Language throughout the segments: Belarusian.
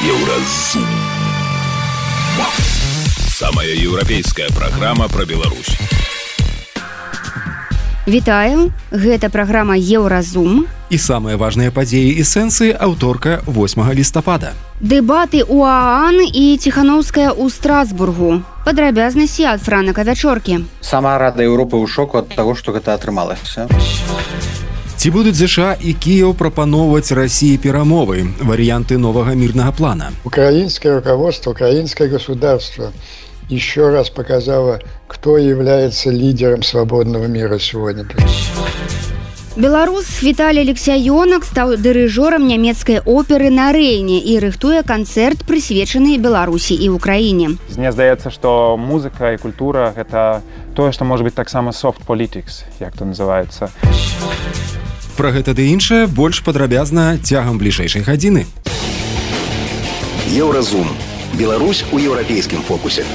Еўразум. Самая еўрапейская праграма пра Беларусь. Вітаю, гэта праграма Еўразум. І самыя важныя падзеі і сэнсы аўторка 8 лістапада. Дэбаты ў ААН і Ціханаўская ў Страсбургу. Падрабязнасці ад Франака Вячоркі. Сама Рада Еўропы ў шоку ад таго, што гэта атрымалася. Ці будуць ЗША і Кіеў прапаноўваць России перамовы, варианты нового мирного плана? Украинское руководство, украинское государство еще раз показало, кто является лидером свободного мира сегодня. Беларус Віталій Алексяёнак стаў дырыжорам нямецкай оперы на Рэйне і рыхтуе канцэрт, прысвечаны Беларусі і Украіне. Мне здаецца, што музыка і культура – гэта тое, што можа быць таксама soft politics, як то называецца. Пра гэта ды іншае больш падрабязна цягам бліжэйшай гадзіны. Еўразум. Беларусь у еўрапейскім фокусе.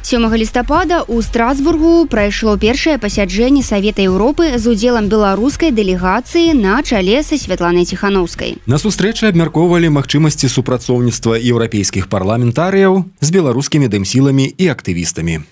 7 лістапада ў Страсбургу прайшло першае пасяджэнне Савета Еўропы з удзелам беларускай дэлегацыі на чале са Святланай Ціханаўскай. На сустрэчы абмяркоўвалі магчымасці супрацоўніцтва еўрапейскіх парламентарыяў з беларускімі дэмсіламі і актывістамі.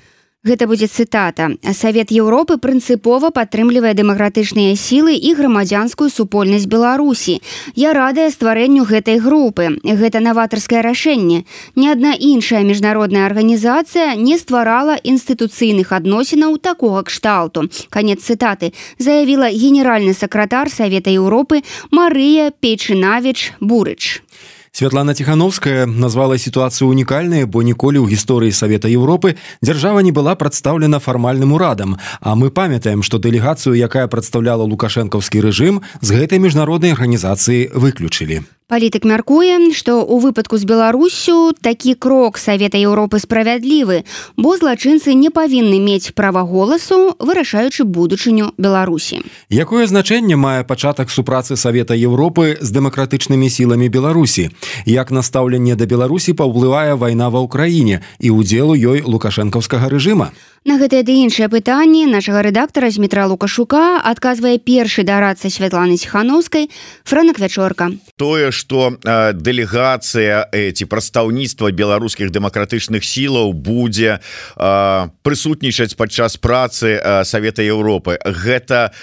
Гэта будзе цытата. Савет Еўропы прынцыпова падтрымлівае дэмакратычныя сілы і грамадзянскую супольнасць Беларусі. Я радая стварэнню гэтай групы. Гэта наватарскае рашэнне. Ні адна іншая міжнародная арганізацыя не стварала інстытуцыйных адносінаў такога кшталту. Канец цытаты. Заявіла генеральны сакратар Савета Еўропы Марыя Пейчынавіч-Бурыч. Святлана Ціханаўская назвала сітуацыю унікальнай, бо ніколі ў гісторыі Савета Еўропы дзяржава не была прадстаўлена фармальным урадам, а мы памятаем, што дэлегацыю, якая прадстаўляла лукашэнкаўскі рэжым, з гэтай міжнароднай арганізацыі выключылі. Палітык мяркуе, што ў выпадку з Беларуссю такі крок Савета Еўропы справядлівы, бо злачынцы не павінны мець права голасу, вырашаючы будучыню Беларусі. Якое значэнне мае пачатак супрацы Савета Еўропы з дэмакратычнымі сіламі Беларусі? Як на стаўленне да Беларусі паўплывае вайна ва ўкраіне і ўдзел у ёй лукашэнкаўскага рэжыма? На гэтае ды іншае пытанне нашага рэдактара Змітра Лукашука адказвае першы дарадца Святланы Ціханаўскай Франак Вячорка. Тое, што дэлегацыя ці прадстаўніцтва беларускіх дэмакратычных сілаў будзе прысутнічаць падчас працы Савета Еўропы. Гэта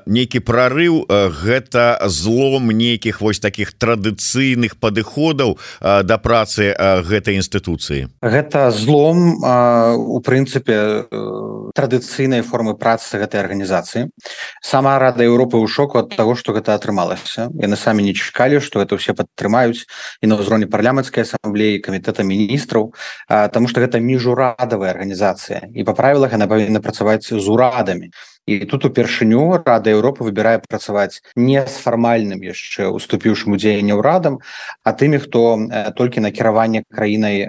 нейкі прарыў, гэта злом нейкіх вось такіх традыцыйных падыходаў да працы гэтай інстытуцыі. Гэта злом, у прынцыпе, традыцыйнай формы працы гэтай арганізацыі. Сама Рада Еўропы ў шоку ад таго, што гэта атрымалася. Яны самі не чакалі, што гэта ўсе падтрымаюць і на ўзроўні парламенцкай асамблеі, камітэта міністраў, таму што гэта міжурадавая арганізацыя. І па правілах яна павінна працаваць з урадамі. І тут упершыню Рада Еўропы выбірае працаваць не з фармальным яшчэ уступіўшым у дзеянне ўрадам, а тымі, хто толькі на кіраванне краінай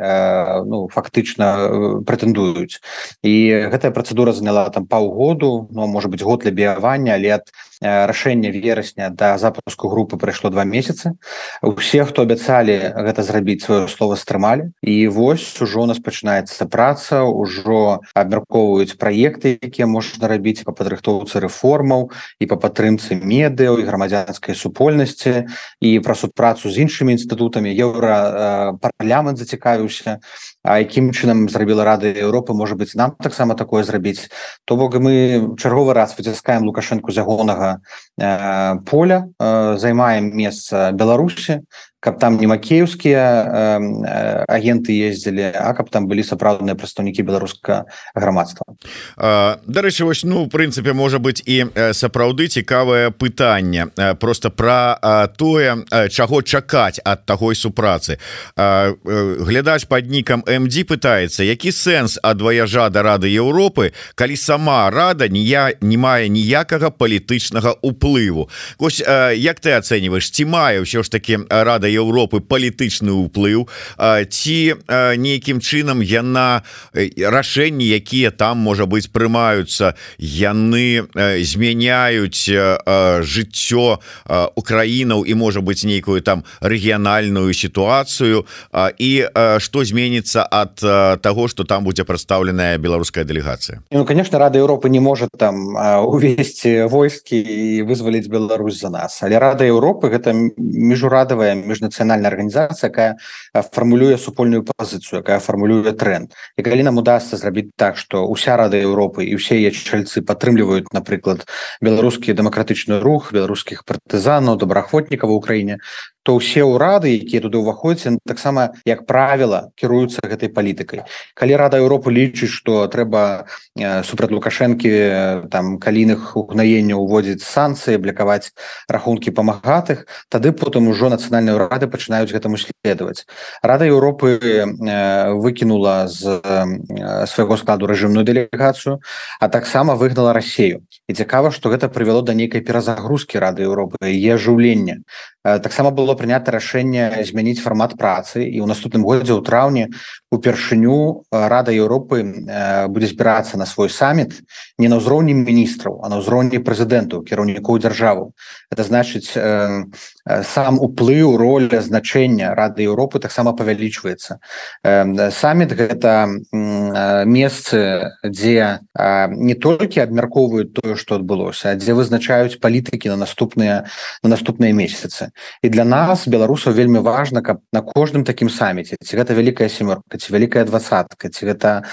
фактычна прэтэндуюць. І гэтая працэдура заняла там паўгоду, можа быць год для біявання, але ад рашэння верасня да запуску групы прайшло 2 месяцы. Усе, хто абяцалі гэта зрабіць, сваё слова стрымалі. І вось ужо у нас пачынаецца праца, ужо абмяркоўваюць праекты, якія можна рабіць па падрыхтоўцы рэформаў і па падтрымцы медыяў і грамадзянскай супольнасці і пра супрацу з іншымі інстытутамі. Еўрапарламент зацікавіўся, а якім чынам зрабіла Рада Еўропы, можа быць, нам таксама такое зрабіць. То бок мы чарговы раз выціскаем Лукашэнку з ягонага поля, займаем месца Беларусі, каб там не макеевскія агенты ездзілі, а каб там былі сапраўдныя прадстаўнікі беларускага грамадства. Дарэчы, вось, в прынцыпе, можа быць і сапраўды цікавае пытанне просто пра тое, чаго чакаць ад такой супрацы. Глядач пад нікам МД пытаецца, які сэнс ад ваяжа да Рады Еўропы, калі сама Рада не мае ніякага палітычнага ўплыву. Вось, як ты ацэньваеш, ці мае ўсё ж такі Рада Еўропы палітычны ўплыў, ці нейкім чынам яна рашэнні, якія там, можа быць, прымаюцца, яны змяняюць жыццё украінаў і, можа быць, нейкую там рэгіянальную сітуацыю, і што зменіцца ад того, что там будзе прадстаўленая беларуская дэлегацыя? Ну, конечно, Рада Европы не может там увести войски и вызволить Беларусь за нас. Але Рада Европы — это межурадовая межнацыянальная организация, якая формулюе супольную позицию, якая формулюе тренд. И калі нам удастся зрабіць так, что уся Рада Европы и усе яе чальцы падтрымліваюць, напрыклад, беларускі дэмакратычны рух, беларускіх партызанаў, добраахвотнікаў в Украіне, то ўсе ўрады, якія туды ўваходзяць, таксама, як правіла, кіруюцца гэтай палітыкай. Калі Рада Европы лічыць, што трэба супраць Лукашэнкі там калійных угнаенняў уводзіць санкцыі, блакаваць рахункі памагатых, тады потым ужо нацыянальныя ўрады пачынаюць гэтаму следаваць. Рада Европы выкінула з свайго складу рэжымную дэлегацыю, а таксама выгнала Расею. І цікава, што гэта прывяло да нейкай перазагрузкі Рады Европы, яе ажыўлення. Таксама было прынята рашэнне змяніць фармат працы, і ў наступным годзе ў траўні упершыню Рада Европы будзе збірацца на свой саміт не на ўзроўні міністраў, а на ўзроўні прэзідэнтаў, кіраўнікоў дзяржаваў. Это значыць, сам уплыў, роля, значэнне Рады Европы таксама павялічваецца. Саміт — гэта месцы, дзе не толькі абмяркоўваюць тое, што адбылося, а дзе вызначаюць палітыкі на наступныя месяцы. І для нас, беларусаў, вельмі важна, каб на кожным такім саміце, ці гэта вялікая сямёрка, ці вялікая двадцатка, ці гэта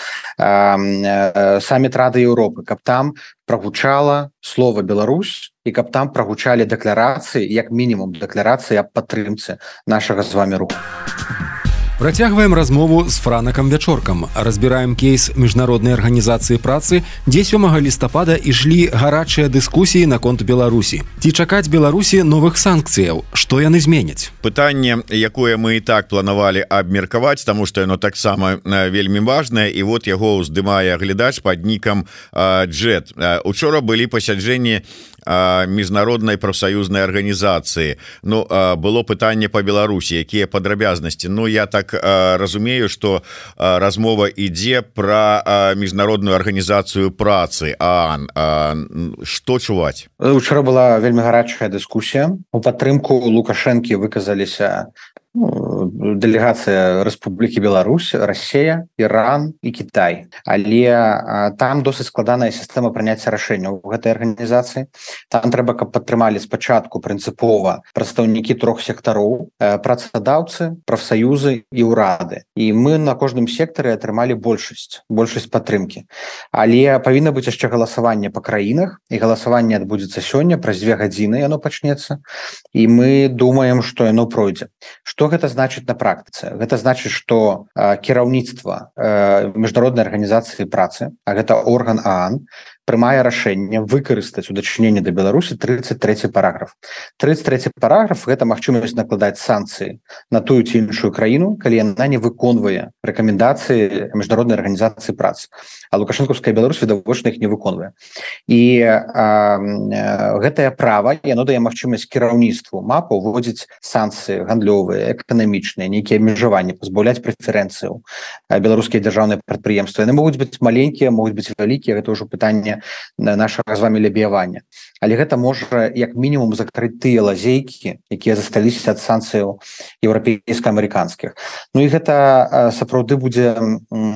саміт Рады Европы, каб там прагучала слова Беларусь, і каб там прагучалі дэкларацыі, як мінімум дэкларацыі аб падтрымцы нашага з вамі руху. Працягваем размову з Франакам Вячоркам. Разбіраем кейс міжнароднай арганізацыі працы, дзе 7 лістапада ішлі гарачыя дыскусіі наконт Беларусі. Ці чакаць Беларусі новых санкцыяў? Што яны зменяць? Пытанне, якое мы і так планавалі абмеркаваць, таму што яно таксама вельмі важнае, і вот яго ўздымае глядач пад нікам Джет. Учора былі пасяджэнні міжнароднай прафсаюзнай арганізацыі. Ну, было пытанне па Беларусі, якія падрабязнасці. Ну, я так разумею, што размова ідзе пра міжнародную арганізацыю працы ААН. Што чуваць? Учора была вельмі гарачая дыскусія. У падтрымку Лукашэнкі выказаліся дэлегацыя Рэспублікі Беларусь, Расея, Іран і Кітай. Але там досыць складаная сістэма прыняцця рашэнняў у гэтай арганізацыі. Там трэба, каб падтрымалі спачатку прынцыпова прадстаўнікі 3 сектароў: працадаўцы, прафсаюзы і ўрады. І мы на кожным сектары атрымалі большасць падтрымкі. Але павінна быць яшчэ галасаванне па краінах, і галасаванне адбудзецца сёння, праз 2 гадзіны яно пачнецца. І мы думаем, што яно пройдзе. Што гэта значыць на практыцы? Гэта значыць, што кіраўніцтва міжнароднай арганізацыі працы, а гэта орган ААН, прымае рашэнне выкарыстаць у дачыненні да Беларусі 33 параграф. 33 параграф — гэта магчымасць накладаць санкцыі на тую ці іншую краіну, калі яна не выконвае рэкамендацыі міжнароднай арганізацыі працы. А лукашэнкаўская Беларусь відавочна іх не выконвае. І гэтае права, яно дае магчымасць кіраўніцтву МАПа ўводзіць санкцыі гандлёвыя, эканамічныя, нейкія абмежаванні, пазбаўляць прэферэнцыяў беларускія дзяржаўныя прадпрыемствы. Яны могуць быць маленькія, могуць быць вялікія, гэта ўжо пытанне нашага з вамі лабіявання. Але гэта можа як мінімум закрыць тыя лазейкі, якія засталіся ад санкцыяў еўрапейска-амерыканскіх. Ну і гэта сапраўды будзе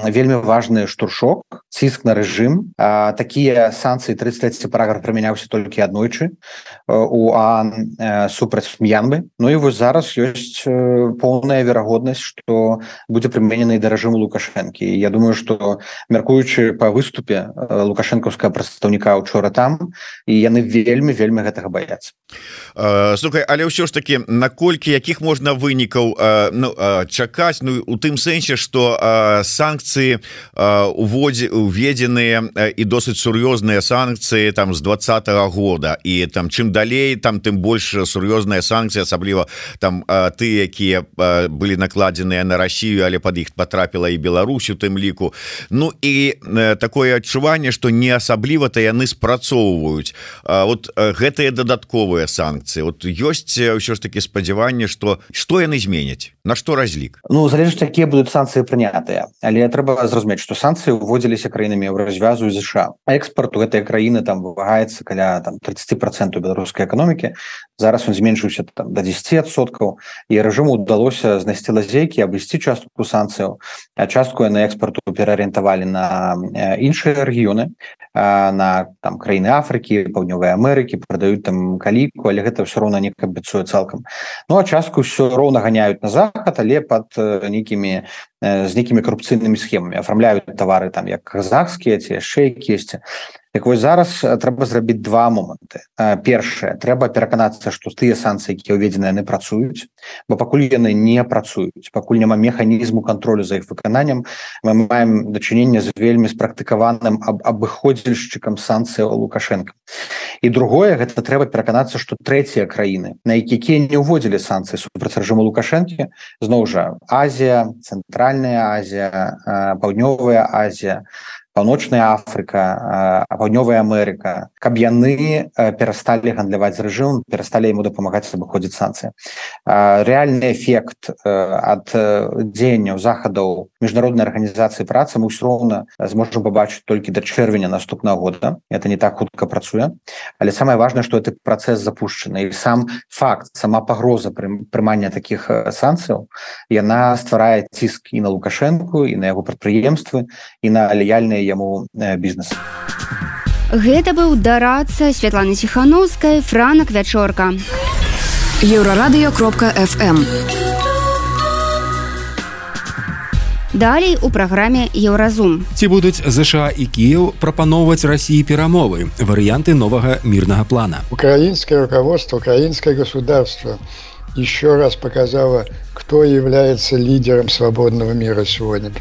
вельмі важны штуршок, ціск на рэжым. Такія санкцыі, 33 параграф прымяняўся толькі аднойчы у ААН супраць М'янмы. Ну і вось зараз ёсць поўная верагоднасць, што будзе прыменены да рэжыму Лукашэнкі. І я думаю, што, мяркуючы па выступе лукашэнкаўскага прадстаўніка учора там, і яны вельмі гэтага баяцца. Слухай, але ўсё ж такі, наколькі, якіх можна вынікаў чакаць, ну, у тым сэнсе, што санкцыі уведзеныя і досыць сур'ёзныя санкцыі там з 2020 года, і там чым далей, там тым больш сур'ёзныя санкцыі, асабліва там тыя, якія былі накладзеныя на Расію, але пад іх патрапіла і Беларусь у тым ліку. Ну і такое адчуванне, што не асабліва-то яны спрацоўваюць. вот гэтыя дадатковыя санкцыі вот ёсць ўсё ж таки спадзяванне што яны зменяць, на што разлік? Ну залежыць якія будуць санкцыі прынятыя, але трэба зразумець, што санкцыі ўводзіліся краінамі Еўразвязу і ЗША. Экспарт у гэтай краіны там вымагаецца каля 30% беларускай эканомікі. Зараз он зменшыўся там до 10%, і рэжыму удалося знайсці лазейкі, абысці частку санкцыяў, а частку яны экспарту пераарыентавалі на іншыя рэгіёны, на там краіны Афрыкі, Паўднёвай Амерыкі, прадаюць там каліку, але гэта ўсё роўна не кампенсуе цалкам. Ну а частку ўсё роўна ганяюць на захад, але пад з нейкімі карупцыйнымі схемамі, афармляюць тавары там як казахскія ці яшчэ якіясьці. Так вось зараз трэба зрабіць два моманты. Першае, трэба пераканацца, што тыя санкцыі, якія ўведзены, яны працуюць, бо пакуль яны не працуюць, пакуль няма механізму кантролю за іх выкананнем, мы маем дачыненне з вельмі спрактыкаваным абыходзільшчыкам санкцыяў Лукашенка. І другое, гэта трэба пераканацца, што трэція краіны, на якія не ўводзілі санкцыі супраць рэжыму Лукашэнкі, зноў жа Азія, Цэнтральная Азія, Паўднёвая Азія, Паўночная Афрыка, Паўднёвая Амерыка, каб яны перасталі гандляваць з рэжымам, перасталі яму дапамагаць абыходзіць санкцыі. Рэальны эфект ад дзеянняў захадаў міжнароднай арганізацыі працы мы ўсё роўна зможам пабачыць толькі да чэрвеня наступнага года. Это не так хутка працуе, але самае важнае, што гэты працэс запушчаны, і сам факт, сама пагроза прымання такіх санкцыяў, яна стварае ціск і на Лукашэнку, і на яго прадпрыемствы, і на лаяльныя яму бізнес. Гэта быў дарадца Святланы Ціхановскай, Франак Вячорка. Еўрарадыё.фм. Далей у праграме Еўразум. Ці будуць ЗША і Кіеў прапаноўваць Расіі перамовы, варыянты новага мирного плана? Украинское руководство, украинское государство еще раз показало, кто является лидером свободного мира сегодня.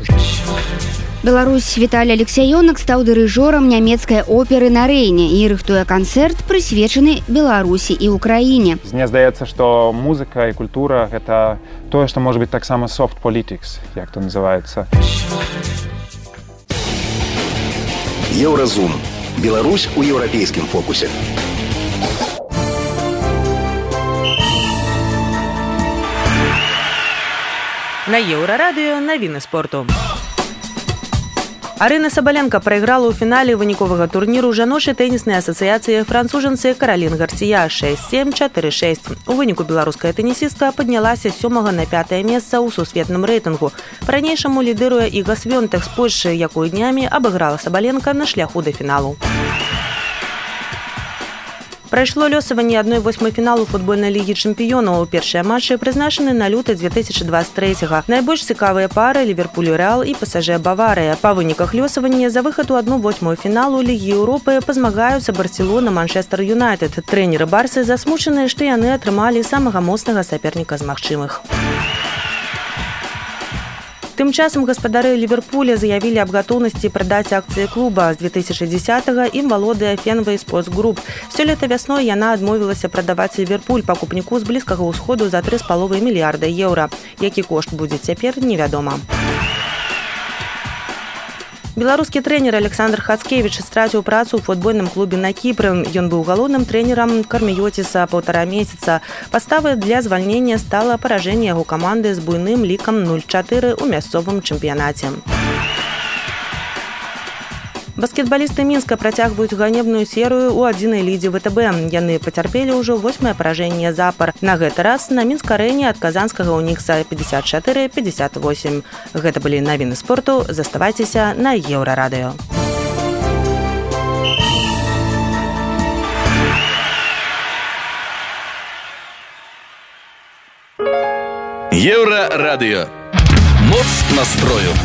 Беларусь Віталій Алексеёнак стаў дырыжорам нямецкай оперы на Рэйне і рыхтуе канцэрт, прысвечаны Беларусі і Украіне. Мне здаецца, што музыка і культура гэта тое, што можа быць таксама soft politics, як то называецца. Еўразум. Беларусь у еўрапейскім фокусе. На Еўрарадыё навіны спорту. Арына Сабаленка прайграла ў фінале выніковага турніру жаночай тэніснай асацыяцыі францужанцы Каралін Гарсія 6-7, 4-6. У выніку беларуская тэнісістка паднялася з 7 на 5 месца ў сусветным рэйтынгу. Па-ранейшаму лідыруе Іга Свёнтэх з Польшчы, якую днямі абыграла Сабаленка на шляху да фіналу. Прайшло лёсаванне 1/8 фіналу футбольнай лігі чэмпіёнаў. Першыя матчы прызначаны на люты 2023-га. Найбольш цікавыя пары Ліверпуль-Рэал і ПСЖ-Баварыя. Па выніках лёсавання за выхад у 1/8 фіналу Лігі Еўропы пазмагаюцца Барселона, Манчестер Юнайтед. Трэнеры Барсы засмучаныя, што яны атрымалі самага моцнага саперніка з магчымых. Тым часам гаспадары Ліверпуля заявілі аб гатоўнасці прадаць акцыі клуба. З 2010-га ім валодае Fenway Sports Group. Сёлета вясной яна адмовілася прадаваць Ліверпуль пакупніку з блізкага ўсходу за 3,5 мільярда еўра. Які кошт будзе цяпер, невядома. Беларускі трэнер Александр Хацкевіч страціў працу ў футбольным клубе на Кіпры. Ён быў галоўным трэнерам Карміёціса 1,5 месяца. Паставай для звальнення стала паражэнне яго каманды з буйным лікам 0-4 ў мясцовым чэмпіянаце. Баскетбалісты Мінска працягваюць ганебную серыю ў адзінай лідзе ВТБ. Яны пацярпелі ўжо 8-е паражэнне запар. На гэты раз на Мінск-арэне ад казанскага Унікса 54-58. Гэта былі навіны спорту. Заставайцеся на Еўрарадыё. Еўрарадыё. Моц настрою.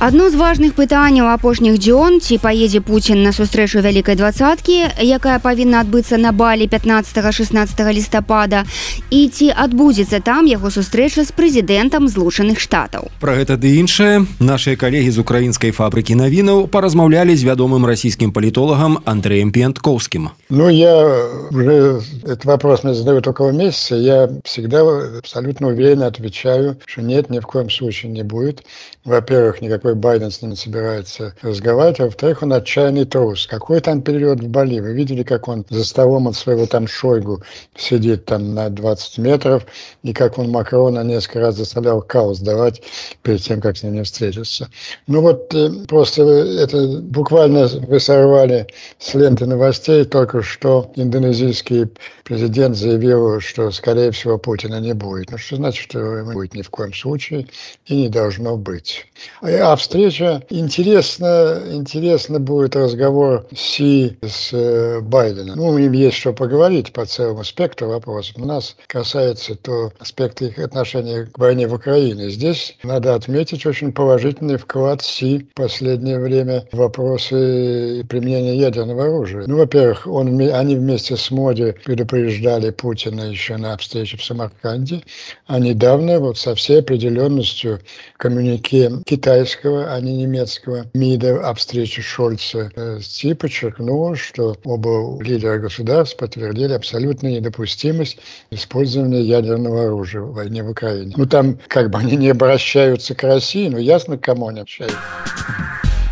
Адно з важных пытанняў апошніх дзён, ці паедзе Пуцін на сустрэчу вялікай дваццаткі, якая павінна адбыцца на Балі 15-16 лістапада, і ці адбудзецца там яго сустрэча з прэзідэнтам Злучаных Штатаў. Пра гэта ды іншае нашыя калегі з украінскай фабрыкі навінаў паразмаўлялі з вядомым расійскім палітолагам Андреем Пиенткоўскім. Ну, я уже этот вопрос мне задают около месяца. Я всегда абсолютно уверенно отвечаю, что нет, ни в коем случае не будет. Во-первых, никакой во-первых, Байден с ними собирается разговаривать, а во-вторых, он отчаянный трус. Какой там перелет в Бали? Вы видели, как он за столом от своего там Шойгу сидит там на 20 метров, и как он Макрона несколько раз заставлял каус давать перед тем, как с ними встретиться. Ну вот просто это буквально вы сорвали с ленты новостей, только что индонезийский президент заявил, что, скорее всего, Путина не будет. Ну, что значит, что его не будет ни в коем случае и не должно быть. А встреча интересно будет разговор Си с Байденом. Ну, им есть что поговорить по целому спектру вопросов. У нас касается то аспекта их отношения к войне в Украине. Здесь надо отметить очень положительный вклад Си в последнее время в вопросы применения ядерного оружия. Ну, во-первых, они вместе с Моди предупреждали Путина еще на встрече в Самарканде, а недавно вот со всей определенностью коммюнике китайского, а не немецкого МИДа о встрече Шольца Си подчеркнул, что оба лидера государств подтвердили абсолютную недопустимость использования ядерного оружия в войне в Украине. Ну, там как бы они не обращаются к России, но ясно, к кому они общаются.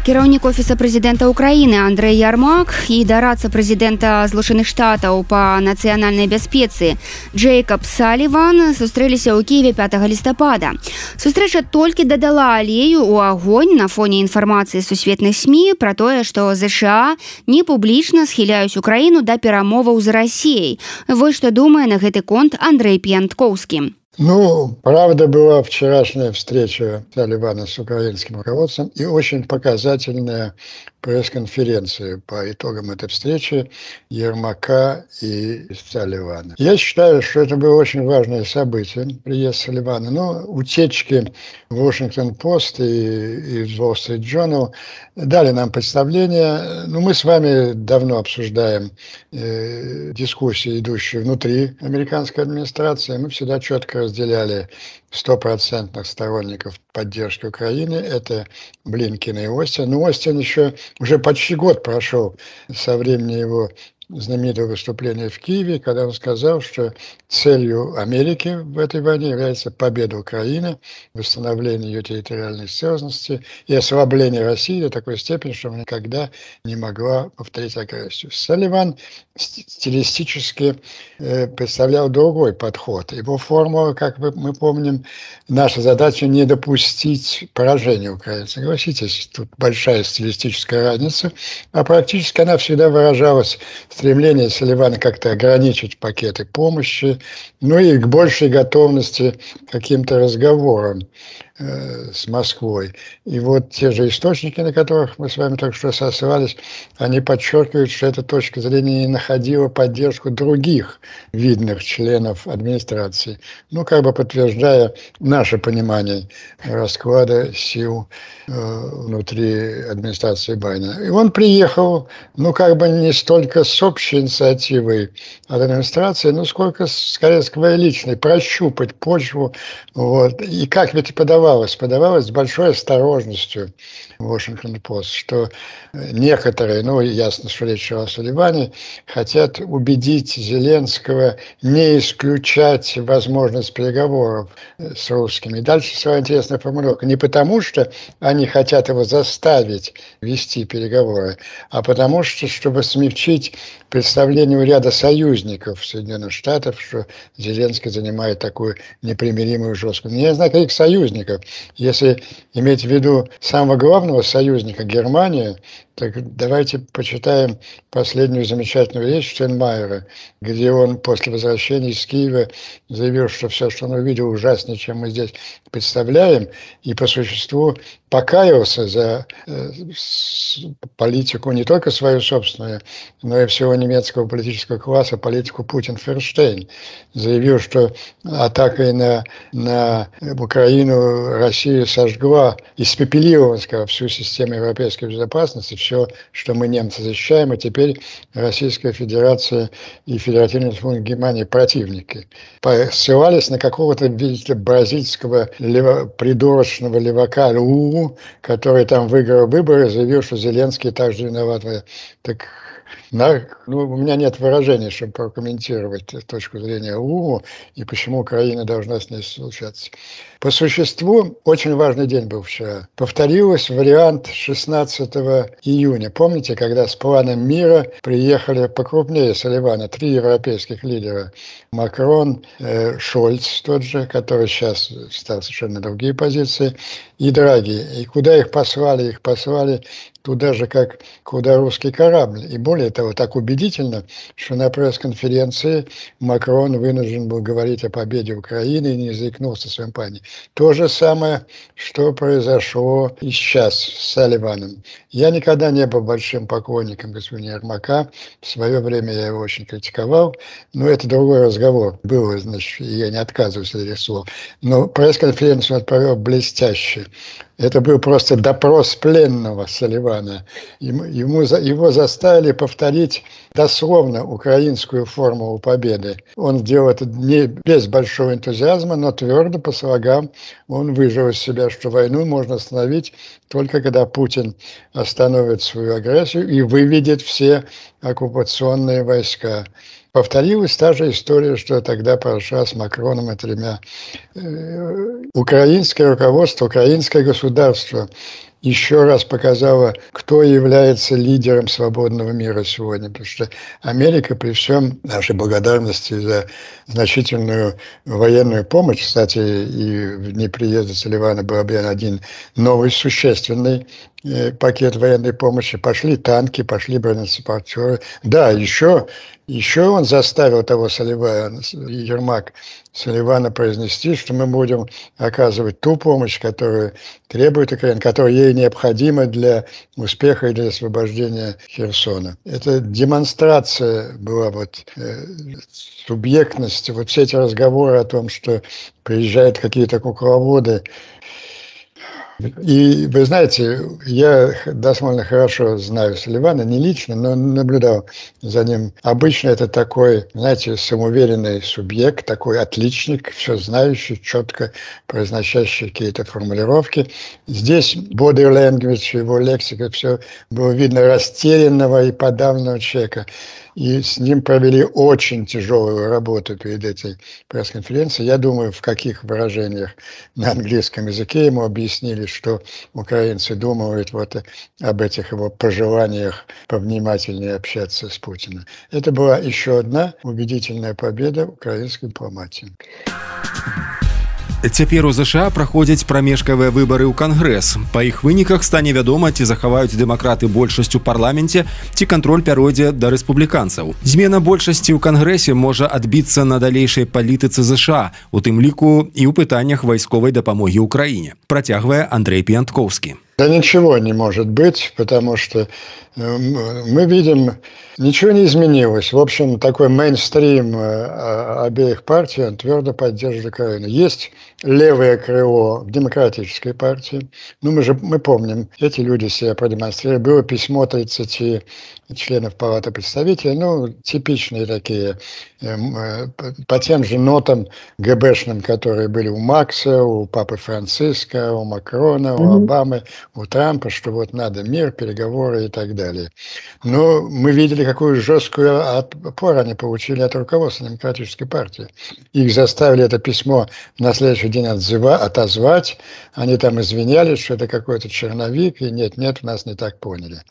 Кіраўнік офіса прэзідэнта Украіны Андрэй Ярмак і дарадца прэзідэнта Злучаных Штатаў па нацыянальнай бяспецы Джейкаб Саліван сустрэліся ў Кіеве 5 лістапада. Сустрэча толькі дадала алею ў агонь на фоне інфармацыі сусветных СМІ пра тое, што ЗША не публічна схіляюць Украіну да перамоваў з Расіяй. Вось што думае на гэты конт Андрэй П'янткоўскі. Ну, правда, была вчерашняя встреча Салливана с украинским руководством и очень показательная пресс-конференция по итогам этой встречи Ермака и Салливана. Я считаю, что это было очень важное событие, приезд Салливана. Но утечки в Washington-Post и в Wall Street Journal дали нам представление. Ну, мы с вами давно обсуждаем дискуссии, идущие внутри американской администрации. Мы всегда четко разделяли 100% сторонников поддержки Украины. Это Блинкен и Остин. Но Остин еще уже почти год прошел со времени его знаменитого выступления в Киеве, когда он сказал, что целью Америки в этой войне является победа Украины, восстановление ее территориальной целостности и ослабление России до такой степени, что она никогда не могла повторить агрессию. Салливан стилистически представлял другой подход. Его формула, как мы помним, наша задача не допустить поражения Украины. Согласитесь, тут большая стилистическая разница, а практически она всегда выражалась в стремлении Салливана как-то ограничить пакеты помощи, ну и к большей готовности к каким-то разговорам с Москвой. И вот те же источники, на которых мы с вами только что сослались, они подчеркивают, что эта точка зрения не находила поддержку других видных членов администрации. Ну, как бы подтверждая наше понимание расклада сил внутри администрации Байдена. И он приехал, ну, как бы не столько с общей инициативой от администрации, но сколько, скорее, с своей личной, прощупать почву. Вот. И как ведь подавалось с большой осторожностью Washington-Post, что некоторые, ну, ясно, что речь шла о Салливане, хотят убедить Зеленского не исключать возможность переговоров с русскими. И дальше своя интересная формулировка. Не потому, что они хотят его заставить вести переговоры, а потому что, чтобы смягчить представление у ряда союзников Соединенных Штатов, что Зеленский занимает такую непримиримую жесткую. Я знаю, каких союзников. Если иметь в виду самого главного союзника Германию, так давайте почитаем последнюю замечательную речь Штайнмайера, где он после возвращения из Киева заявил, что все, что он увидел, ужаснее, чем мы здесь представляем, и по существу покаялся за политику не только свою собственную, но и всего немецкого политического класса, политику Путин-Ферштейн. Заявил, что атакой на Украину Россия сожгла, испепелила, он сказал, всю систему европейской безопасности, все, что мы, немцы, защищаем, и теперь Российская Федерация и Федеративная Республика Германия противники. Ссылались на какого-то, видите, бразильского придурочного левака Лулу, который там выиграл выборы, заявил, что Зеленский также виноват. Так у меня нет выражений, чтобы прокомментировать точку зрения УМУ и почему Украина должна с ней случаться. По существу, очень важный день был вчера. Повторился вариант 16 июня. Помните, когда с планом мира приехали покрупнее Салливана 3 европейских лидера. Макрон, Шольц тот же, который сейчас стал совершенно другие позиции, и Драги. И куда их послали? Их послали туда же, как куда русский корабль. И более того, так убедительно, что на пресс-конференции Макрон вынужден был говорить о победе Украины и не заикнулся в своем плане. То же самое, что произошло и сейчас с Салливаном. Я никогда не был большим поклонником господина Ермака. В свое время я его очень критиковал, но это другой разговор. Было, значит, я не отказываюсь от этих слов. Но пресс-конференцию он провел блестяще. Это был просто допрос пленного Салливана. Его заставили повторить дословно украинскую формулу победы. Он сделал это не без большого энтузиазма, но твердо по слогам. Он выжил из себя, что войну можно остановить только когда Путин остановит свою агрессию и выведет все оккупационные войска. Повторилась та же история, что тогда прошла с Макроном и 3. Украинское руководство, украинское государство еще раз показало, кто является лидером свободного мира сегодня. Потому что Америка, при всем нашей благодарности за значительную военную помощь, кстати, и в дни приезда Салливана был объявлен один новый существенный пакет военной помощи, пошли танки, пошли бронетранспортеры. Да, еще он заставил того Салливана, Ермак, Салливана произнести, что мы будем оказывать ту помощь, которую требует Украина, которая ей необходима для успеха и для освобождения Херсона. Это демонстрация была субъектности. Вот все эти разговоры о том, что приезжают какие-то кукловоды. И вы знаете, я довольно хорошо знаю Салливана, не лично, но наблюдал за ним. Обычно это такой, знаете, самоуверенный субъект, такой отличник, все знающий, четко произносящий какие-то формулировки. Здесь body language, его лексика, все было видно растерянного и подавленного человека. И с ним провели очень тяжелую работу перед этой пресс-конференцией. Я думаю, в каких выражениях на английском языке ему объяснили, что украинцы думают об этих его пожеланиях повнимательнее общаться с Путиным. Это была еще одна убедительная победа украинской дипломатии. Цяпер у ЗША праходзяць прамежкавыя выбары ў Кангрэс. Па іх выніках стане вядома, ці захаваюць дэмакраты большасць у парламенце, ці кантроль пяройдзе да рэспубліканцаў. Змена большасці ў Кангрэсе можа адбіцца на далейшай палітыцы ЗША, у тым ліку і ў пытаннях вайсковай дапамогі ўкраіне. Працягвае Андрей Пьянтковский. Да ничего не может быть, потому что мы видим, ничего не изменилось. В общем, такой мейнстрим обеих партий, он твердо поддерживает Украину. Есть левое крыло в демократической партии. Мы помним, эти люди себя продемонстрировали. Было письмо 30 членов Палаты представителей, типичные такие, по тем же нотам ГБшным, которые были у Макса, у Папы Франциска, у Макрона, у Обамы, у Трампа, что надо мир, переговоры и так далее. Но мы видели, какую жесткую опору они получили от руководства Демократической партии. Их заставили это письмо на следующий день отозвать. Они там извинялись, что это какой-то черновик, и нет, нас не так поняли.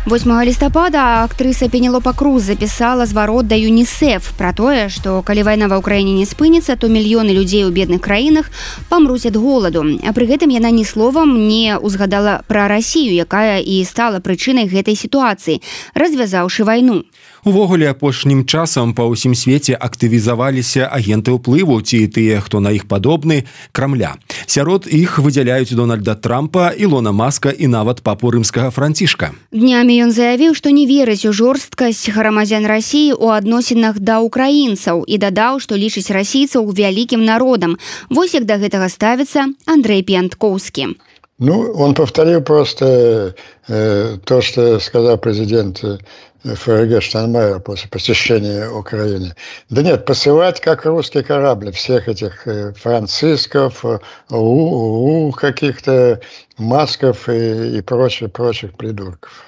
8 лістапада актрыса Пенелопа Круз запісала зварот да ЮНІСЕФ пра тое, што калі вайна ва ўкраіне не спыніцца, то мільёны людзей у бедных краінах памруць ад голаду. А пры гэтым яна ні словам не ўзгадала пра Расію, якая і стала прычынай гэтай сітуацыі, развязаўшы вайну. Увогуле, апошнім часам па ўсім свеце актывізаваліся агенты ўплыву, ці тыя, хто на іх падобны, Крамля. Сярод іх выдзяляюць Дональда Трампа, Ілона Маска і нават папу рымскага Францішка. Днямі ён заявіў, што не верыць у жорсткасць грамадзян Расіі ў адносінах да украінцаў і дадаў, што лічыць расійцаў вялікім народам. Вось як да гэтага ставіцца Андрей Пьянтковский. Он повторил просто то, что сказал президент ФРГ Штайнмайер после посещения Украины. Да нет, посылать как русский корабль всех этих Францисков, каких-то Масков и прочих придурков.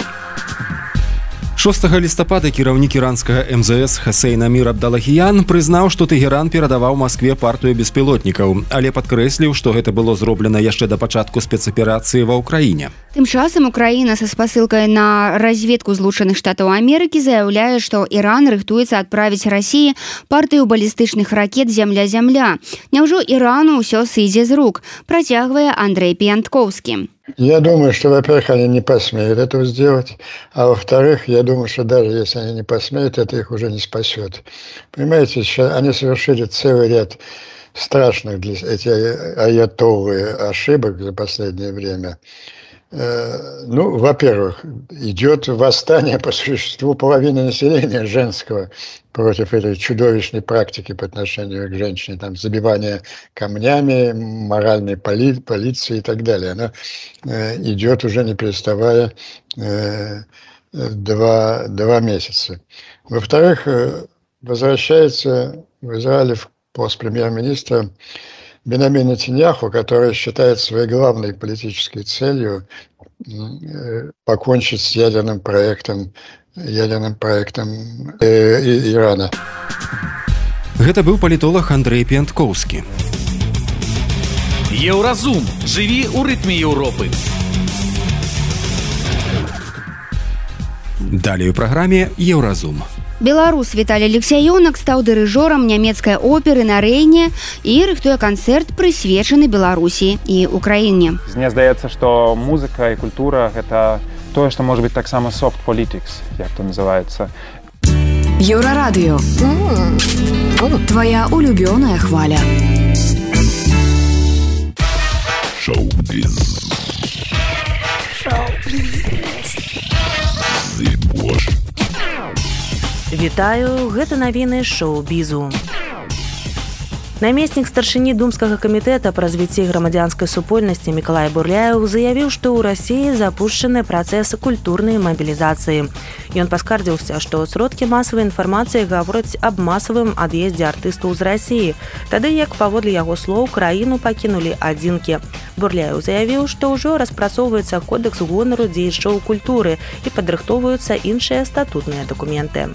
6 лістапада кіраўнік іранскага МЗС Хасейн Амір Абдалахіян прызнаў, што Тэгеран перадаваў Маскве партыю беспілотнікаў, але падкрэсліў, што гэта было зроблена яшчэ да пачатку спецаперацыі ва ўкраіне. Тым часам Украіна са спасылкай на разведку Злучаных Штатаў Амерыкі заяўляе, што Іран рыхтуецца адправіць Расіі партыю балістычных ракет «Зямля-Зямля». Няўжо Ірану ўсё сыдзе з рук, працягвае Андрей Пьянтковскі. Я думаю, что, во-первых, они не посмеют этого сделать, а во-вторых, я думаю, что даже если они не посмеют, это их уже не спасет. Понимаете, они совершили целый ряд страшных для эти аятоллы ошибок за последнее время. Ну, во-первых, идет восстание по существу половины населения женского против этой чудовищной практики по отношению к женщине, там, забивание камнями, моральной полиции и так далее. Она идет уже не переставая 2 месяца. Во-вторых, возвращается в Израиле пост премьер-министра Беньямин Нетаньяху, который считает своей главной политической целью покончить с ядерным проектом Ирана. Гэта быў палітолог Андрей Пьянтковскі. Еўразум. Жыві ў рытме Еўропы. Далей у праграме «Еўразум». Беларус Віталій Алексяёнак стаў дырыжорам нямецкай оперы на Рэйне і рыхтуе канцэрт, прысвечаны Беларусі і Украіне. Мне здаецца, што музыка і культура – гэта тое, што можа быць таксама soft politics, як то называецца. Еўрарадыё. Твоя улюбёная хваля. Шоу-біз. Вітаю, гэта навіны шоу-бізу. Намеснік старшыні думскага камітэта па развіцці грамадзянскай супольнасці Мікалай Бурляеў заявіў, што ў Расіі запушчаны працэс культурнай мабілізацыі. Ён паскардзіўся, што сродкі масавай інфармацыі гавораць аб масавым ад'ездзе артыстаў з Расіі, тады як, паводле яго слоў, краіну пакінулі адзінкі. Бурляеў заявіў, што ўжо распрацоўваецца кодэкс гонару дзеячоў культуры і падрыхтоўваюцца іншыя статутныя дакументы.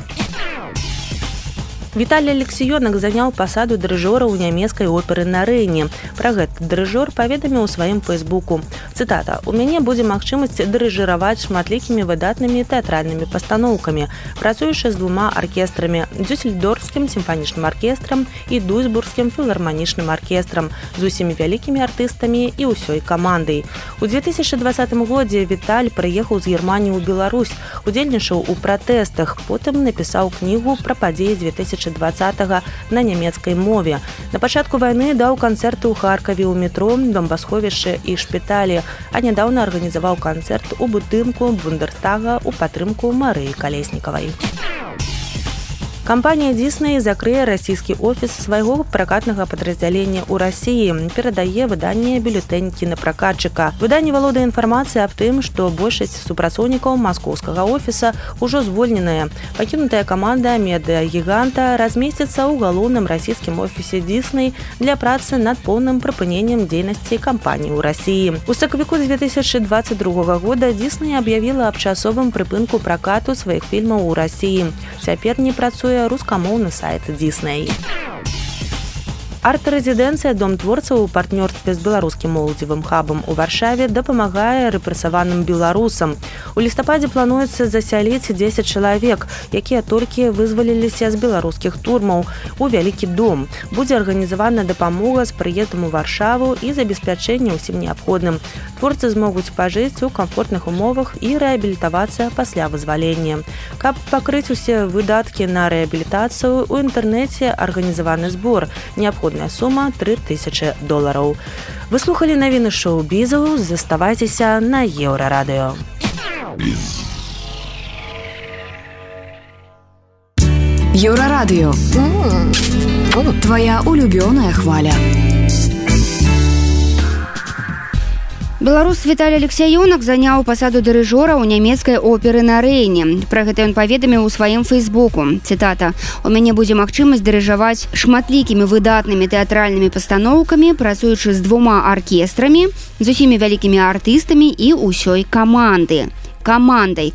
Віталій Алексяёнак заняў пасаду дырыжора ў нямецкай оперы на Рэйне. Пра гэта дырыжор паведаміў у сваім фэйсбуку. Цытата: «У мяне будзе магчымасць дырыжыраваць шматлікімі выдатнымі тэатральнымі пастаноўкамі, працуючы з 2 аркестрамі – Дюссельдорфскім сімфанічным аркестрам і Дуйсбургскім філарманічным аркестрам, з усімі вялікімі артыстамі і ўсёй камандай». У 2020 годзе Віталь прыехаў з Германіі ў Беларусь, удзельнічаў у пратэстах, потым напісаў кнігу пра падзеі 2020 на нямецкай мове. На пачатку вайны даў канцэрты ў Харкаве, у метро, бамбасховішчы і шпіталі, а нядаўна арганізаваў канцэрт у будынку Бундэрстага ў падтрымку Марыі Калеснікавай. Кампанія Disney закрые расійскі офіс свайго пракатнага падраздзялення ў Расіі, перадае выданне бюлетэнь кінапракатчыка. Выданне валодае інфармацыяй аб тым, што большасць супрацоўнікаў маскоўскага офіса ўжо звольненая. Пакінутая каманда медыагіганта размесціцца ў галоўным расійскім офісе Disney для працы над поўным прыпыненнем дзейнасці кампаніі ў Расіі. У сакавіку 2022 года Disney аб'явіла аб часовым прыпынку пракату сваіх фільмаў у Расіі. Цяпер не працуе рускамоўны сайт Disney. Арт-рэзідэнцыя «Дом творцаў» у партнёрстве з беларускім моладзевым хабам у Варшаве дапамагае рэпрэсаваным беларусам. У лістападзе плануецца засяліць 10 чалавек, якія толькі вызваліліся з беларускіх турмаў, у вялікі дом. Будзе арганізавана дапамога з прыездам у Варшаву і забеспячэнне ўсім неабходным. Творцы змогуць пажыць у камфортных умовах і рэабілітавацца пасля вызвалення. Каб пакрыць усе выдаткі на рэабілітацыю, у інтэрнэце арганізаваны збор. Неабходная сума $3000. Вы слухали навіны шоу-бізу, заставайцеся на Еўрарадыё. Еўрарадыё. Твоя улюбёная хваля. Беларус Віталій Алексяёнак заняў пасаду дырыжора ў нямецкай оперы на Рэйне. Пра гэта ён паведаміў у сваім фэйсбуку. Цытата: «У мяне будзе магчымасць дырыжаваць шматлікімі выдатнымі тэатральнымі пастаноўкамі, працуючы з 2 аркестрамі, з усімі вялікімі артыстамі і ўсёй камандай».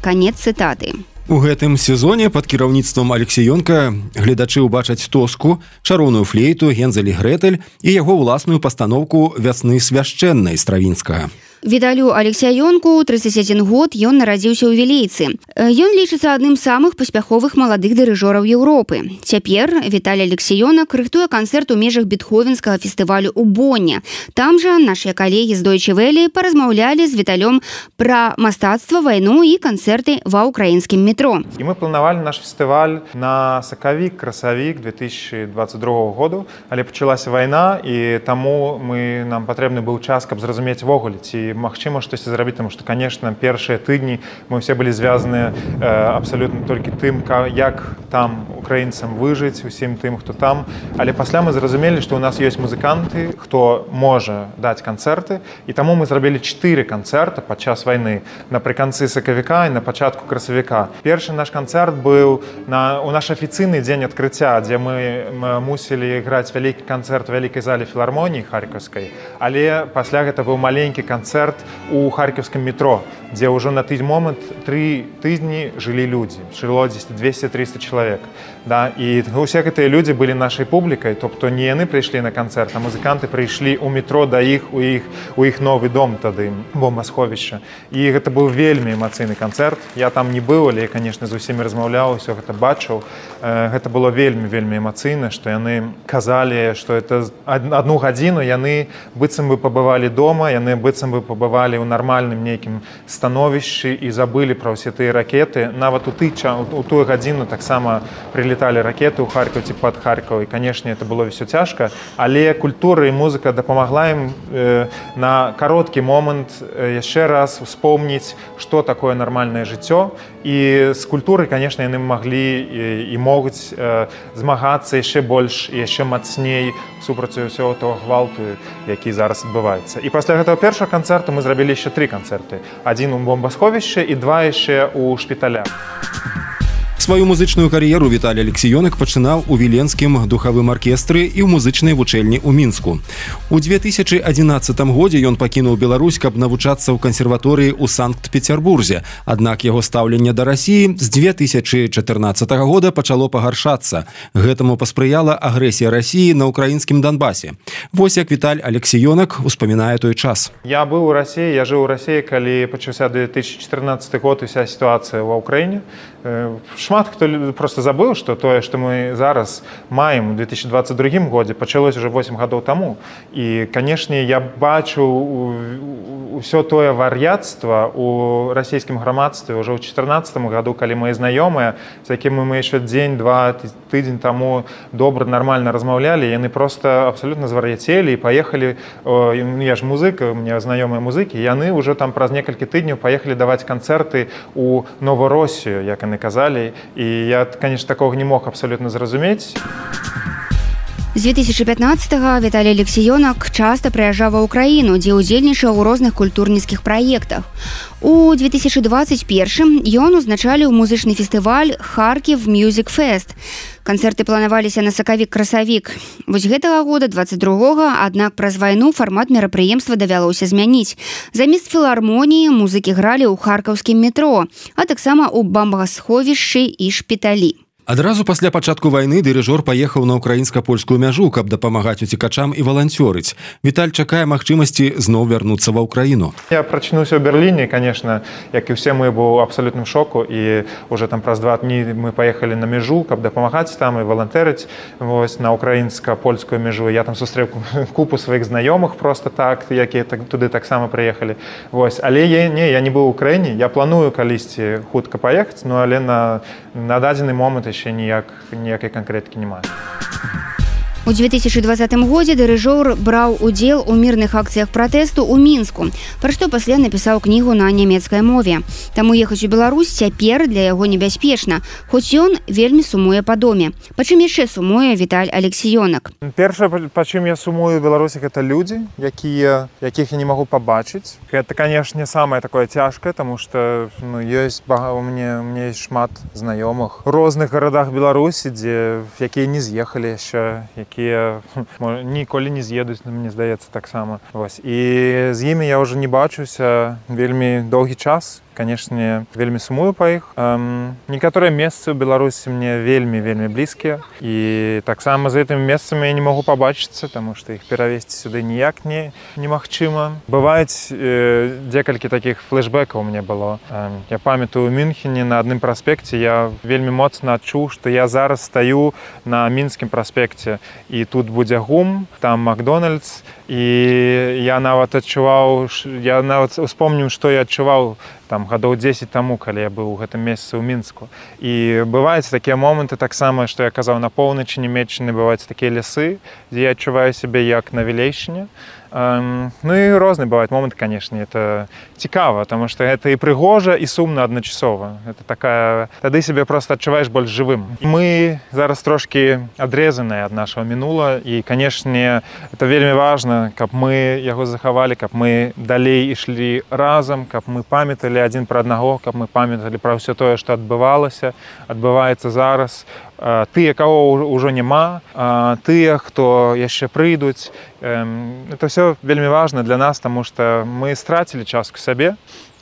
Канец цытаты. У гэтым сезоне пад кіраўніцтвам Алексіёнка гледачы ўбачаць Тоску, чароўную флейту, Гензель і Грэтэль і яго ўласную пастаноўку «Вясны свяшчэннай» Стравінскага. Віталю Алексіёнку 31 год, ён нарадзіўся ў Вілейцы. Ён лічыцца адным з самых паспяховых маладых дырыжораў Еўропы. Цяпер Віталій Алексіёнак рыхтуе канцэрт у межах бетховенскага фестывалю ў Бонне. Там жа нашыя калегі з Deutsche Welle паразмаўлялі з Віталём пра мастацтва, вайну і канцэрты ва ўкраінскім метро. І мы планавалі наш фестываль на сакавік-красавік 2022 году, але пачалася вайна, і таму нам патрэбны быў час, каб зразумець ввогуле, ці магчыма штосьці зрабіць, тому што, конечно, першыя тыдні мы ўсе былі звязаны абсалютна толькі тым, як там украінцам выжыць, усім тым, хто там. Але пасля мы зразумелі, што ў нас ёсць музыканты, хто можа даць канцэрты, і таму мы зрабілі 4 канцэрта падчас вайны, напрыканцы сакавіка і на пачатку красавіка. Першы наш канцэрт быў у наш афіцыйны дзень адкрыцця, дзе мы мусілі граць вялікі канцэрт у вялікай зале філармоніі харкаўскай, але пасля гэта быў маленькі канцэрт у харківскім метро, дзе ўжо на той момант 3 тыдні жылі людзі, жыло 200-300 чалавек. І ўсе гэтыя людзі былі нашай публікай, тобто не яны прыйшлі на канцэрт, а музыканты прыйшлі ў метро да іх, у іх новы дом тады, бомбасховішча. І гэта быў вельмі эмацыйны канцэрт. Я там не быў, але, конечно, з усімі размаўляў, усё гэта бачыў. Гэта было вельмі эмацыйна, што яны казалі, што это 1 гадзіну яны быццам бы пабывалі дома, яны быццам бы пабывалі ў нармальным нейкім становішчы і забылі пра ўсе тыя ракеты. Нават у тую гадзіну таксама прилетали ракеты ў Харкаў ці пад Харкаў, і, конечно, это было ўсё цяжка, але культура і музыка дапамагла ім на кароткі момант яшчэ раз успомніць, што такое нармальнае жыццё, і з культурай, конечно, яны маглі і могуць змагацца яшчэ больш і яшчэ мацней супраць усяго того гвалту, які зараз адбываецца. І пасля гэтага першага канцэрту мы зрабілі яшчэ 3 канцэрты. 1 у бомбасховішчы і 2 яшчэ ў шпіталях. Сваю музычную кар'еру Віталій Алексіёнак пачынаў у віленскім духавым аркестры і ў музычнай вучэльні ў Мінску. У 2011 годзе ён пакінуў Беларусь, каб навучацца ў кансерваторыі ў Санкт-Петербурзе. Аднак яго стаўленне да Расіі з 2014 года пачало пагаршацца. Гэтаму паспрыяла агрэсія Расіі на ўкраінскім Донбасе. Вось як Віталь Алексіёнак успамінае той час. Я быў у Расіі, я жыў у Расіі, калі пачаўся 2014 год уся сітуацыя ва ўкраіне. Шмат хто просто забыў, што тое, што мы зараз маем у 2022 годзе, пачалось уже 8 гадоў таму. І, канешне, я бачу ўсё тое вар'яцтва у расійскім грамадстве ўжо ў 2014 году, калі мои знаёмыя, з якімі мы яшчэ дзень-два тыдзень таму добра, нармальна размаўлялі, яны просто абсалютна звар'яцелі і паехалі, я ж музыка, у меня знаёмыя музыкі, яны ўжо там праз некалькі тыдняў паехалі даваць канцэрты у Новороссію, як яны казалі. І я, конечно, такого не мог абсолютно зразумець. З 2015-го Віталій Алексіёнак часта прыязджаў ва ўкраіну, дзе ўдзельнічаў у розных культурніцкіх праектах. У 2021 ён узначаліў музычны фестываль «Харків Music Fest». Канцэрты планаваліся на сакавік-красавік. Вось гэтага года, 22-го, аднак праз вайну фармат мерапрыемства давялося змяніць. Замест філармоніі музыкі гралі ў харкаўскім метро, а таксама ў бомбасховішчы і шпіталі. Адразу пасля пачатку вайны дырыжор паехаў на ўкраінска-польскую мяжу, каб дапамагаць уцекачам і валанцёрыць. Віталь чакае магчымасці зноў вярнуцца ва ўкраіну. Я прачнуўся ў Берліне, конечно, як і ўсе мы, быў у абсалютным шоку, і уже там праз 2 дні мы паехалі на мяжу, каб дапамагаць там і валантэрыць на ўкраінска-польскую мяжу. Я там сустрэў купу сваіх знаёмых просто так, якія туды таксама прыехалі. Але я не быў у Украіне, я планую калісьці хутка паехаць, але на дадзены момант еще ніякай канкрэткі не маю. У 2020 годзе дырыжор браў удзел у мірных акцыях пратэсту ў Мінску, пра што пасля напісаў кнігу на нямецкай мове. Таму ехаць у Беларусь цяпер для яго небяспечна, хоць ён вельмі сумуе па доме. Па чым яшчэ сумуе Віталь Алексіёнак? Першае, па чым я сумую ў Беларусі, гэта людзі, якіх я не магу пабачыць. Гэта, канешне, самае такое цяжкае, таму што ёсць у мне шмат знаёмых у розных гарадах Беларусі, якія не з'ехалі яшчэ, якія ніколі не з'едуць, мне здаецца, таксама. І з імі я ўжо не бачуся вельмі доўгі час. конечно, вельмі сумую па іх. Некаторыя месцы ў Беларусі мне вельмі блізкія. І таксама з гэтымі месцамі я не могу пабачыцца, таму што іх перавесці сюды ніяк немагчыма. Бываюць некалькі такіх флешбэкаў у мне было. Я памятаю, у Мюнхене на адным праспекце я вельмі моцна адчуў, што я зараз стаю на Мінскім праспекце, і тут будзе ГУМ, там Макдональдс, і я нават успомніў, што я адчуваў там гадоў 10 таму, калі я быў у гэтым месцы ў Мінску. І бываюць такія моманты таксама, што я казаў, на поўначы Нямецчыны бываюць такія лясы, дзе я адчуваю сябе як на Вілейшчыне. Ну і розныя бываюць моманты, канешне, это цікава, таму што гэта і прыгожа, і сумна адначасова. Это такая... Тады сябе проста адчуваеш больш жывым. Мы зараз трошкі адрэзаныя ад нашага мінула, і, канешне, это вельмі важна, каб мы яго захавалі, каб мы далей ішлі разам, каб мы памяталі адзін пра аднаго, каб мы памяталі пра ўсё тое, што адбывалася, адбываецца зараз. Тыя, каго ўжо няма, тыя, хто яшчэ прыйдуць. Это ўсё вельмі важна для нас, таму што мы страцілі частку сябе,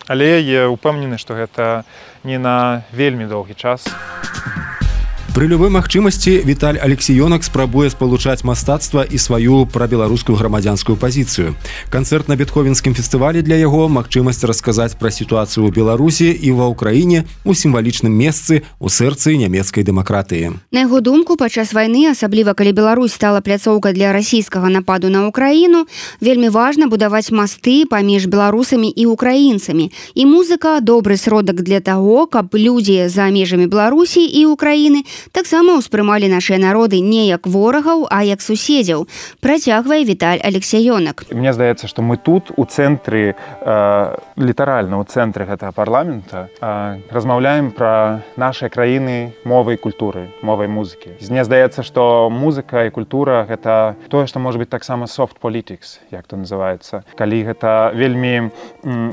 але я упэўнены, што гэта не на вельмі доўгі час. Пры любой магчымасці Віталь Алексіёнак спрабуе спалучаць мастацтва і сваю прабеларускую грамадзянскую пазіцыю. Канцэрт на Бетховенскім фестывалі для яго магчымасць расказаць пра сітуацыю ў Беларусі і ва ўкраіне у сімвалічным месцы ў сэрцы нямецкай дэмакратыі. На яго думку, падчас вайны, асабліва калі Беларусь стала пляцоўкай для расійскага нападу на Украіну, вельмі важна будаваць масты паміж беларусамі і украінцамі. І музыка – добры сродак для таго, каб людзі за межамі Беларусі і Украіны таксама ўспрымалі нашыя народы не як ворагаў, а як суседзяў, працягвае Віталь Алексіёнак. Мне здаецца, што мы тут у цэнтры, літаральна ў цэнтры гэтага парламента размаўляем пра нашыя краіны мовай культуры, мовай музыкі. Мне здаецца, што музыка і культура – гэта тое, што можа быць таксама soft politics, як то называецца. Калі гэта вельмі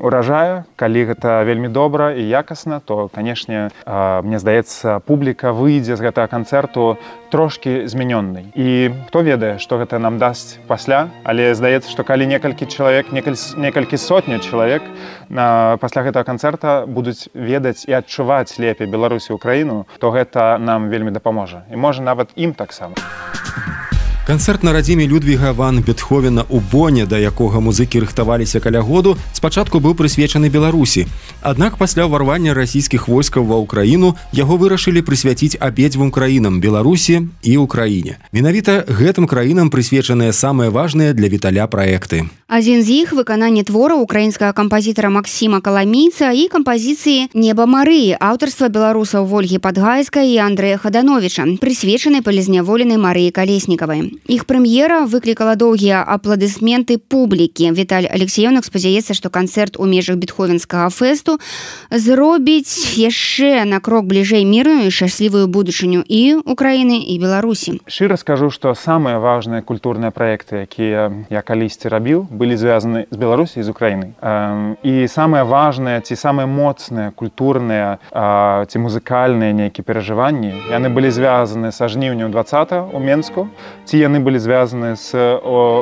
уражае, калі гэта вельмі добра і якасна, то, канешне, мне здаецца, публіка выйдзе з гэтага канцэрту трошкі змянённай. І хто ведае, што гэта нам дасць пасля, але здаецца, што калі некалькі чалавек, некалькі сотняў чалавек пасля гэтага канцэрта будуць ведаць і адчуваць лепей Беларусь і Украіну, то гэта нам вельмі дапаможа. І можа нават ім таксама. Канцэрт на радзіме Людвіга ван Бетховена ў Боне, да якога музыкі рыхтаваліся каля году, спачатку быў прысвечаны Беларусі. Аднак пасля ўварвання расійскіх войскаў ва ўкраіну яго вырашылі прысвяціць абедзвюм краінам – Беларусі і Украіне. Менавіта гэтым краінам прысвечаныя самыя важныя для Віталя праекты. Адзін з іх – выкананне твора украінскага кампазітара Максіма Каламійца і кампазіцыі «Неба Марыі» аўтарства беларусаў Вольгі Падгайскай і Андрэя Хадановіча, прысвечанай палізняволенай Марыі Калеснікавай. Іх прэм'ера выклікала доўгія апладысменты публікі. Віталь Алексіёнак спадзяецца, што канцэрт у межах Бетховенскага фэсту зробіць яшчэ на крок бліжэй мірную і шчаслівую будучыню і Украіны, і Беларусі. Шчыра скажу, што самыя важныя культурныя праекты, якія я калісьці рабіў, былі звязаны з Беларусі і з Украінай. І самыя важныя ці самыя моцныя культурныя ці музыкальныя нейкія перажыванні, яны былі звязаны са жніўня 20-го ў Менску, ці яны былі звязаны з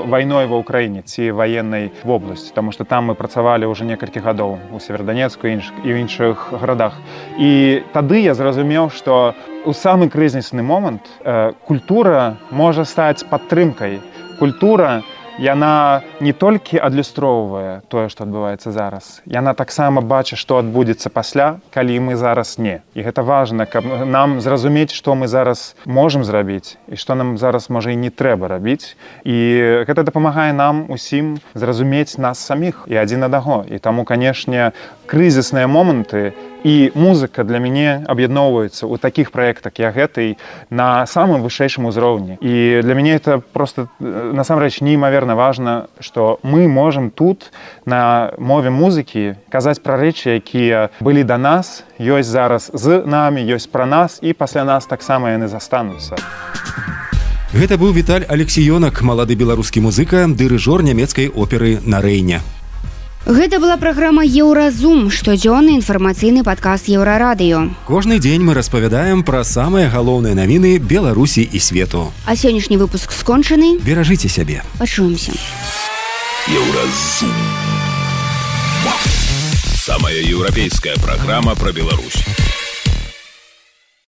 вайной ва ўкраіне ці ваеннай вобласці, таму што там мы працавалі ўжо некалькі гадоў у Северодонецку і ў іншых гарадах. І тады я зразумеў, што у самы крызісны момант культура можа стаць падтрымкай. Культура яна не толькі адлюстроўвае тое, што адбываецца зараз. Яна таксама бачыць, што адбудзецца пасля, калі мы зараз не. І гэта важна, каб нам зразумець, што мы зараз можам зрабіць і што нам зараз, можа, і не трэба рабіць. І гэта дапамагае нам усім зразумець нас саміх і адзін аднаго. І таму, канешне, крызісныя моманты і музыка для мяне аб'ядноўваюцца ў такіх праектах, як гэтай, на самым вышэйшым узроўні. І для мяне это просто, насамрэч, неймаверна важна, што мы можам тут на мове музыкі казаць пра рэчы, якія былі да нас, ёсць зараз з намі, ёсць пра нас, і пасля нас таксама яны застануцца. Гэта быў Віталь Алексіёнак, малады беларускі музыка, дырыжор нямецкай оперы на Рэйне. Гэта была праграма «Еўразум», штодзённы інфармацыйны падкаст Еўрарадыё. Кожны дзень мы распавядаем пра самыя галоўныя навіны Беларусі і свету. А сённяшні выпуск скончаны. Беражыце сябе. Пачуемся. Еўразум. Самая европейская программа про Беларусь.